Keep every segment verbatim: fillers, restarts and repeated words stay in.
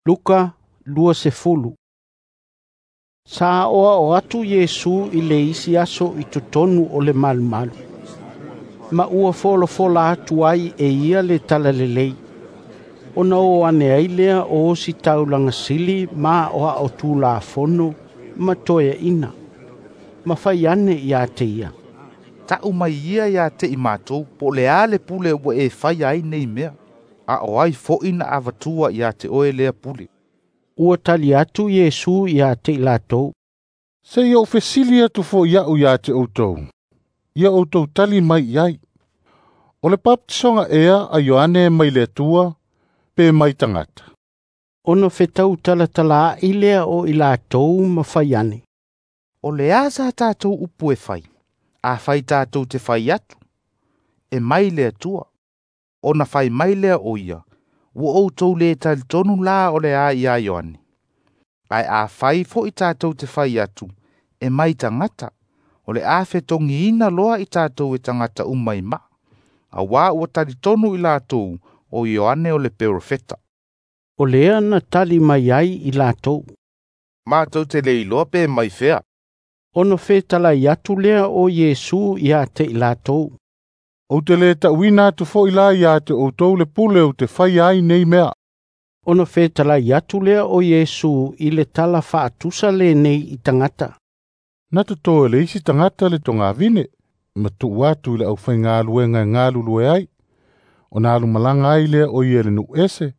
Luka luasefulu. Sa aoao atu Iesu i le isi aso i totonu o le malumalu. Ma ua folafola atu ai e ia le talalelei. Ona o ane ai lea o ositaulaga sili ma aoao Tulafono ma toeaina. Ma fai ane ia te ia: "Ta'u mai ia ia te i matou po o le a le pule ua e faia ai nei mea, a o ai fo'i na avatua ia te oe lea pule." Ua tali atu Iesu ia te i latou: "Se i ou fesili atu fo'i a'u ia te outou, ia outou tali mai i ai. O le papatisoga ea a Ioane mai le Atua pe mai tagata?" Ona fetau talatalaai lea o i latou ma fai ane: "O le a sa tatou upu e fai? Afai tatou te fai atu, e mai le Atua, ona fai mai lea o ia, ua outou lē talitonu la o le a iā Ioane. Ae afai fo'i tatou te fai atu, e mai tagata, o le a fetogiina loa i tatou e tagata uma i maa, auā ua talitonu i latou o Ioane o le perofeta." O lea na tali mai ai i latou: "Matou te le iloa pe mai fea." Ona fetalai atu lea o Iesu ia te i latou: "Ou te lē ta'uina atu fo'i la ia te outou le pule ou te faia ai nei mea." Ona fetalai atu lea o Iesu i le tala faatusa lenei i tagata: "Na totō e le isi tagata le togavine, ma tuu atu i le aufaigaluega e galulue ai. Ona alumalaga ai lea o ia i le nuu ese,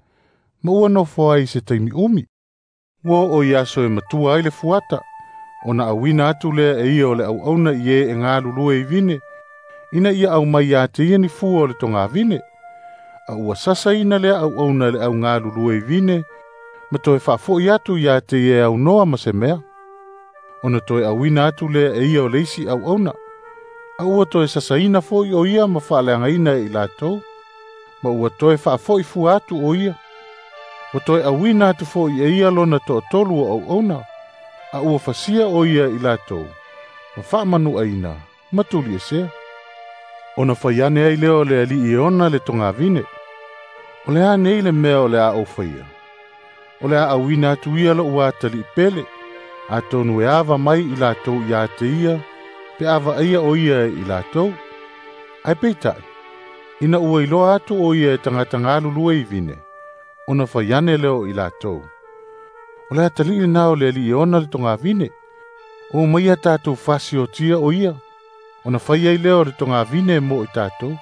ma ua nofo ai i se taimi umi. Ua oo i aso e matua ai le fuata, ona auina atu lea e ia o le auauna i e e galulue i vine, ina ia aumai ia te ia ni fua o le togavine. A ua sasaina lea auauna e le augalulue i vine, ma toe faafo'i atu ia te ia e aunoa ma se mea. Ona toe auina atu lea e ia o le isi auauna, a ua toe sasaina fo'i o ia ma faaleagaina e i latou, ma ua toe faafo'i fua atu o ia. Ua toe auina atu fo'i e ia lona toatolu o auauna, a ua fasia o ia i latou, ma faamanuaina ma tuliesea. Ona fai ane ai lea o le alii e ona le togavine, O le a nei le mea o le a ou faia? O le a auina atu ia lo'u atalii pele, atonu e ava mai i latou ia te ia, pe a vaaia o ia e i latou. Ae peitai, ina ua iloa atu o ia e tagata galulue i vine, ona fai ane lea o i latou, O le atalii lenā o le alii e ona le togavine, o maia tatou fasiotia o ia, ona fai ai lea o le togavine mo i tatou.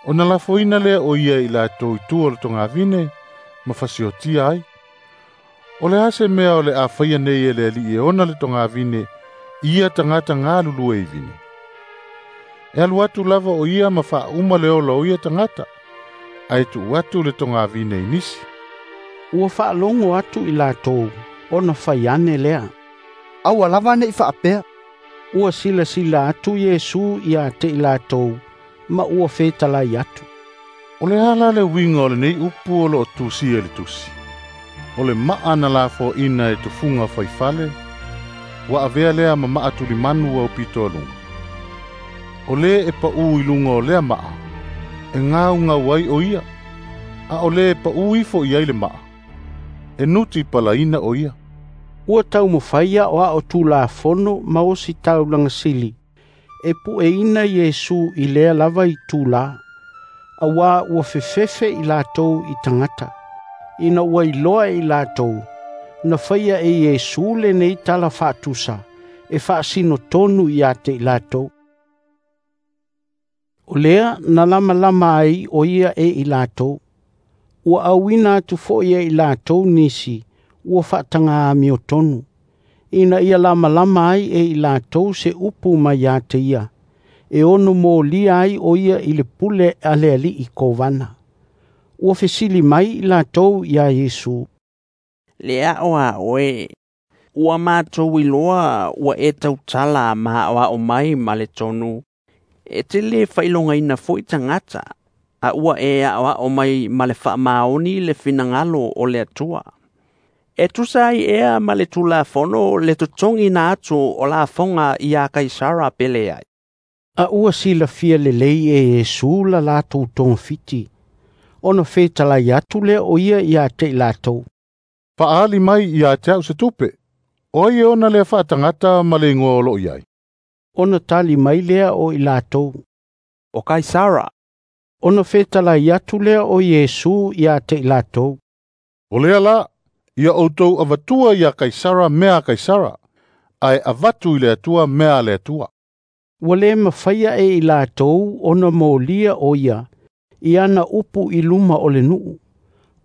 Ona lafoina lea o ia i latou i tua o le togavine ma fasiotia ai. O le a se mea o le a faia nei e le alii e ona le togavine i ia tagata galulue i vine? E alu atu lava o ia ma faauma le ola o ia tagata, ae tuu atu le togavine i nisi." Ua faalogo atu i latou, ona fai ane lea: "Aua lava ne'i faapea." Ua silasila atu Iesu ia te i latou, ma ua fetalai atu: "O le a la le uiga o lenei upu o loo tusia i le tusi? O le maa na lafoaina e tufuga faifale, ua avea lea ma maa tulimanu aupito aluga. O lē e paʻu i luga o lea maa, e gaugau ai o ia, a o lē e paʻu ifo i ai le maa, e nuti palaina o ia." Ua taumafai aoao Tulafono ma ositaulaga sili e pueina Iesu i lea lava itulā, auā ua fefefe i latou i tagata, ina ua iloa e i latou, na faia e Iesu lenei tala faatusa e faasino tonu ia te i latou. O lea na lamalama ai o ia e i latou. Ua auina atu fo'i e i latou nisi ua faataga amiotonu, ina ia lamalama ai e i latou se upu mai ia te ia, e ono molia ai o ia i le pule a le alii kovana. Ua fesili mai i latou iā Iesu: "Le ao a oe, ua matou iloa ua e tautala ma aoao mai ma le tonu, e te lē faailogaina fo'i tagata, a ua e aoao mai ma le faamaoni le finagalo o le Atua. E tusa ai ea ma le Tulafono le totogiina atu o lafoga iā Kaisara pe leai?" A ua silafia lelei e Iesu la latou togafiti, ona fetalai atu lea o ia ia te i latou: Fa'aali mai ia te au se tupe. O ai e ona lea fa'atagata ma le igoa o lo'o i ai. Ona tali mai lea o i latou. O Kaisara. Ona fetalai atu lea o Iesu ia te i latou. O lea la, ia outou avatua ia Kaisara mea a Kaisara, ae avatu i le Atua mea a le Atua. Ua le mafaia e i latou ona molia o ia, i ana upu i luma o le nuu.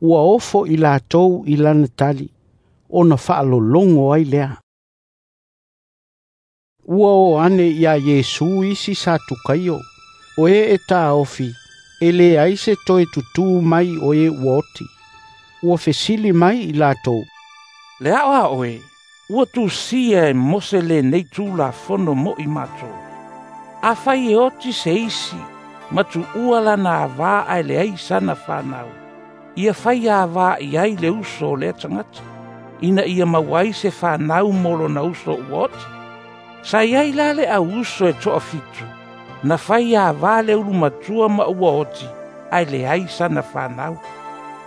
Ua ofo i latou i lana tali, ona faalologo ai lea. Ua o ane ia Iesu isi Satukaio, o e e tāofi, e le ai se toe tutū mai o e ua oti. Ua fesili mai i latou. Le ao a oe, ua tusia e Mose lenei tulafono mo'i matou. Afai e oti se isi, ma tuua lana avā ae leai sana fanau. Ia fai avā i ai le uso o lea tagata, ina ia maua ai se fanau mo lona uso ua oti. Sa iai la le au uso e toafitu, na fai avā le ulumatua ma ua oti, ae leai sana fanau.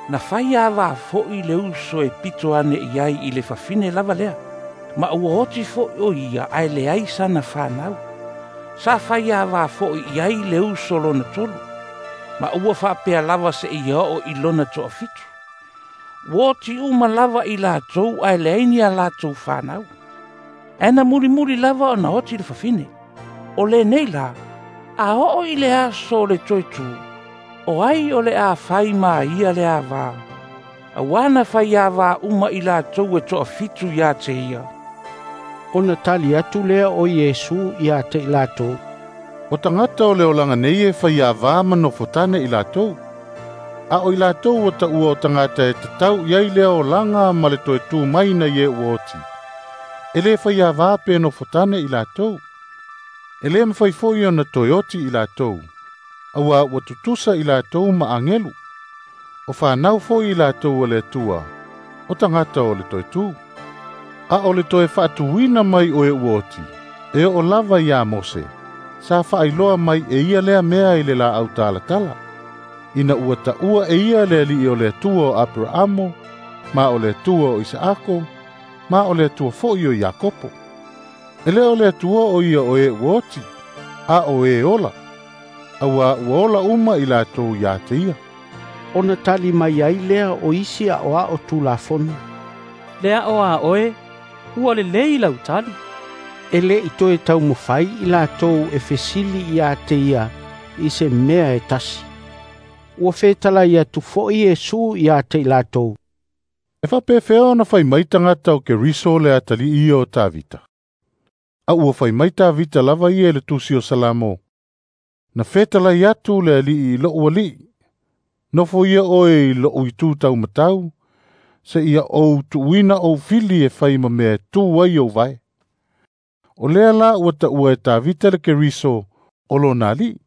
Na fai avā fo'i le uso e pito ane i ai i le fafine lava lea, ma ua oti fo'i o ia ae leai sana fanau. Sa fai avā fo'i i ai le uso lona tolu, ma ua faapea lava seia oo i lona toafitu. Ua oti uma lava i latou ae leai ni a latou fanau. Ae na mulimuli lava ona oti le fafine. O lenei la, a oo i le aso o le toe tū, o ai o le a fai ma ia le avā. Auā na fai avā uma i latou e toafitu ia te ia. Ona tali atu lea o Iesu ia te i latou. O tagata o le olaga nei e fai avā ma nofotane i latou. A o i latou ua ta'ua o tagata e tatau i ai lea olaga ma le toe tū mai na i e ua oti. E lē fai avā pe nofotane i latou. E lē mafai fo'i ona toe oti i latou. Auā ua tutusa i latou ma agelu. O fanau fo'i i latou o le Atua, o tagata o le toe tū. A o le toe fa'atuina mai o e ua oti, e oo lava iā Mose, sa fa'ailoa mai e ia lea mea i le la'au talatala. Ina ua ta'ua e ia le ali'i o le Atua o Aperaamo, ma o le Atua o Isaako, ma o le Atua fo'i o Iakopo. E lē o le Atua o ia o e ua oti, a o e ola. Auā ua ola uma i latou iā te ia. Ona tali mai ai lea o isi a'oa'o tulafono. Le a'o a oe, ua lelei lau tali. E lē i toe taumafai i latou e fesili ia te ia i se mea e tasi. Ua fetalai atu fo'i Iesu ia te i latou. E fa'apefea ona fai mai tagata o Keriso le atali'i ia o Tavita. A ua fai mai Tavita lava ia i le tusi o Salamo. Na fetalai atu le ali'i i lo'u ali'i. Nofo ia oe i lo'u itū taumatau, seia ou tuuina ou fili e fai ma mea e tū ai ou vae. O lea la ua ta'ua e Tavita le Keriso o lona ali'i.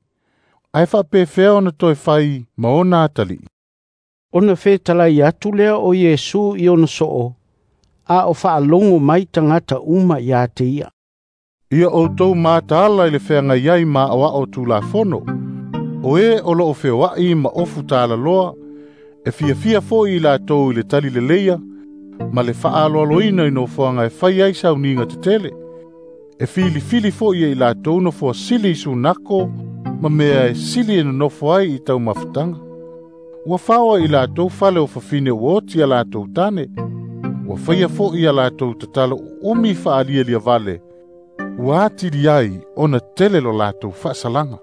Ae fa'apefea ona toe fai ma ona atali'i. Ona fetalai atu lea o Iesu i ona so'o, a o fa'alogo mai tagata uma ia te ia. Ia outou mataala i le feagai ai ma a'oa'o tulafono. O e o lo'o feoa'i ma ofu talaloa, e fiafia fo'i i latou i le tali leleia, ma le fa'aaloaloina i nofoaga e fai ai sauniga tetele. E filifili fo'i e i latou nofoa sili i sunako, ma mea e sili e nonofo ai i taumafataga. Ua faoa i latou fale o fafine ua oti a latou tane. Ua faia fo'i a latou tatalo uumi fa'alialia vale. Ua atili ai ona tele lo latou fa'asalaga.